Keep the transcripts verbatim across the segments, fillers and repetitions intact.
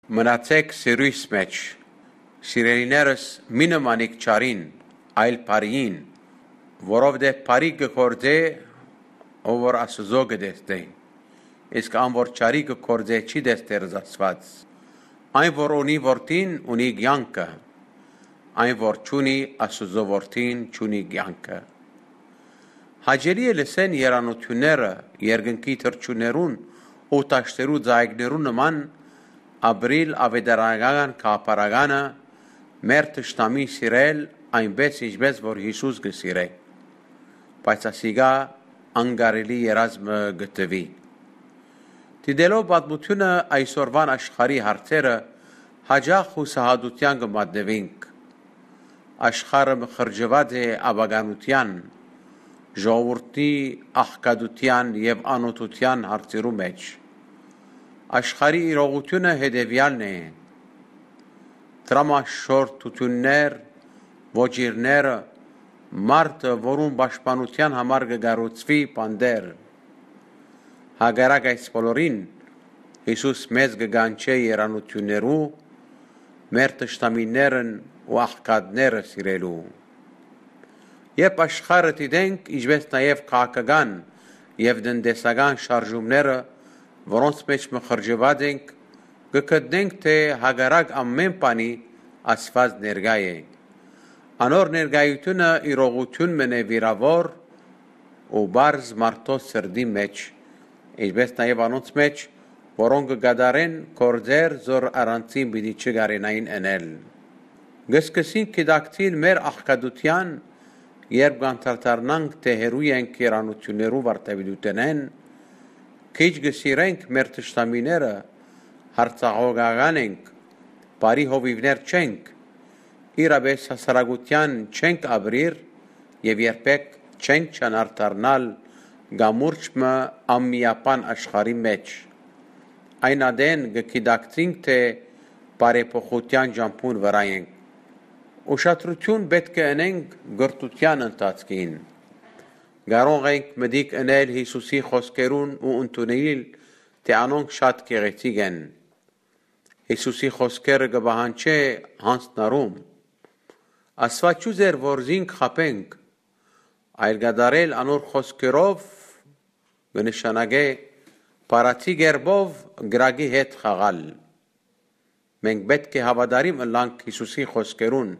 Մնացէք սիրոյս մէջ։ Սիրելիներս, մի նմանիք չարին, այլ բարիին, որովհետեւ բարի կը գործէ, ով որ Աստուծոյ կը տեսնէ, իսկ ան որ չարի կը գործէ, չի տեսներ Աստուած։ Այն որ ունի որդին, ունի կեանքը, այն որ չունի Աստուծոյ որդին, չունի կեանքը։ Հաճելի է լսեն երանութիւնները, երկնքի թռչուններուն ու դաշտերու ծայիկներուն նման ապրիլ ավետարանական գաղափարականը, մեր թշնամին սիրել այնպէս, ինչպէս որ Յիսուս կը սիրէ, բայց ասիկա անկարելի երազ մը կը թուի։ Դիտելով պատմութիւնը, այսօրուան աշխարհի հարցերը, յաճախ յուսահատութեան կը մատնուինք։ Աշխարհը մխրճուած է ապականութեան, ժողովուրդի աղքատութեան եւ անօթութեան հարցերու մէջ։ Աշխարհի իրողութիւնը հետեւեալն է. դրամաշորթութիւններ, ոճիրները, մարդը, որուն պաշտպանութեան համար կը կառուցուի բանտեր։ Հակառակ այս բոլորին, Յիսուս մեզ կը կանչէ երանութիւններու, մեր թշնամիներն ու աղքատները սիրելու։ Երբ աշխարհը դիտենք, ինչպէս նաեւ քաղաքական եւ տնտեսական շարժումները, որոնց մէջ մխրճուած ենք, կը գտնենք, թէ հակառակ ամէն բանի Աստուած ներկայ է։ Անոր ներկայութիւնը իրողութիւն մըն է վիրաւոր ու պարզ մարդոց սրտի մէջ, ինչպէս նաեւ անոնց մէջ, որոնք կը կատարեն գործեր, զոր առանցին պիտի չկարենային ընել։ Կը սկսենք գիտակցիլ մեր աղքատութեան, երբ կանդրադառնանք, թէ հեռու ենք երանութիւններու վարդապետութենէն, քիչ կը սիրենք մեր թշնամիները, յարձակողական ենք, բարի հովիւներ չենք, իրապէս հասարակութեան չենք ապրիր եւ երբեք չենք ջանար դառնալ կամուրջ մը անմիաբան աշխարհի մէջ։ Այն ատեն կը գիտակցենք, թէ բարեփոխութեան ճամբուն վրայ ենք։ Ուշադրութիւն պէտք է ընենք կրթութեան ընթացքին։ Կարող ենք մտիկ ընել Յիսուսի խօսքերուն ու ընդունել, թէ անոնք շատ գեղեցիկ են։ Յիսուսի խօսքերը կը պահանջէ յանձնառում։ Աստուած չ'ուզեր որ զինք խաբենք, այլ կատարել անոր խօսքերով կը նշանակէ բառացի կերպով կրակի հետ խաղալ։ Մենք պէտք է հաւատարիմ ըլլանք Յիսուսի խօսքերուն։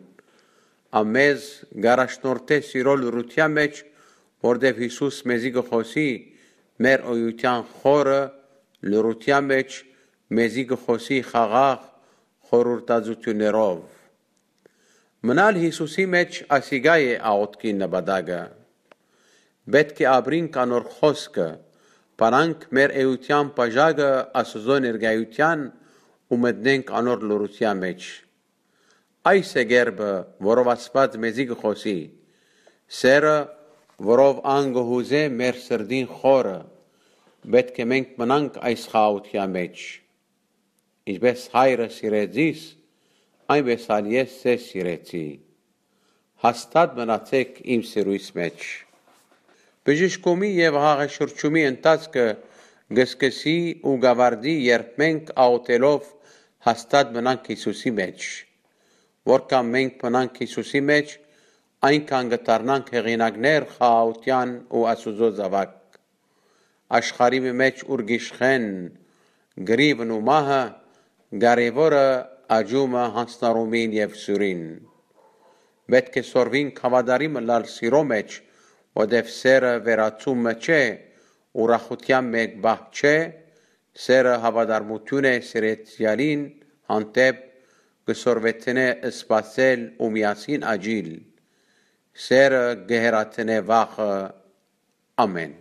Ան մեզ կ'առաջնորդէ սիրոյ լռութեան մէջ, որտեւ Յիսուս մեզի կը խօսի մեր էութեան խորը լռութեան մէջ, մեզի կը խօսի խաղաղ խորհրդածութիւններով։ Մնալ Յիսուսի մէջ, ասիկա է աղօթքին նպատակը։ Պէտք է ապրինք անոր խօսքը, բանանք մեր էութեան բաժակը Աստուծոյ ներկայութեան ու մտնենք անոր լռութեան մէջ։ Այս է կերպը, որով Աստուած մեզի կը խօսի, սերը, որով ան կը յուզէ մեր սրտին խորը։ Պէտք է մենք մնանք այս խաղաղութեան մէջ։ Ինչպէս Հայրը սիրեց զիս, այնպէս ալ ես ձեզ սիրեցի։ Հաստատ մնացէք իմ սիրոյս մէջ։ Բժշկումի եւ հաղեշուրջումի ընթացքը կը սկսի ու կ'աւարտի, երբ մենք աղօթելով հաստատ մնանք Յիսուսի մէջ։ Որքան մենք մնանք Յիսուսի մէջ, այնքան կը դառնանք հեղինակներ խաղաղութեան ու Աստուծոյ զաւակ։ Աշխարհի մէջ, ուր կ'իշխեն կռիւն ու մահը, կարեւորը աճումը, յանձնառումին եւ սուրին։ Պէտք է սորվինք հաւատարիմ ըլլալ սիրոյ մէջ, որտեւ սերը վերացում մը չէ, ուրախութեան մէկ պահ չէ, սերը հաւատարմութիւն է սիրեցեալին հանդէպ, կը սորվեցնէ սպասել ու միասին աճիլ։ Սերը կը հեռացնէ վախը։ Ամէն։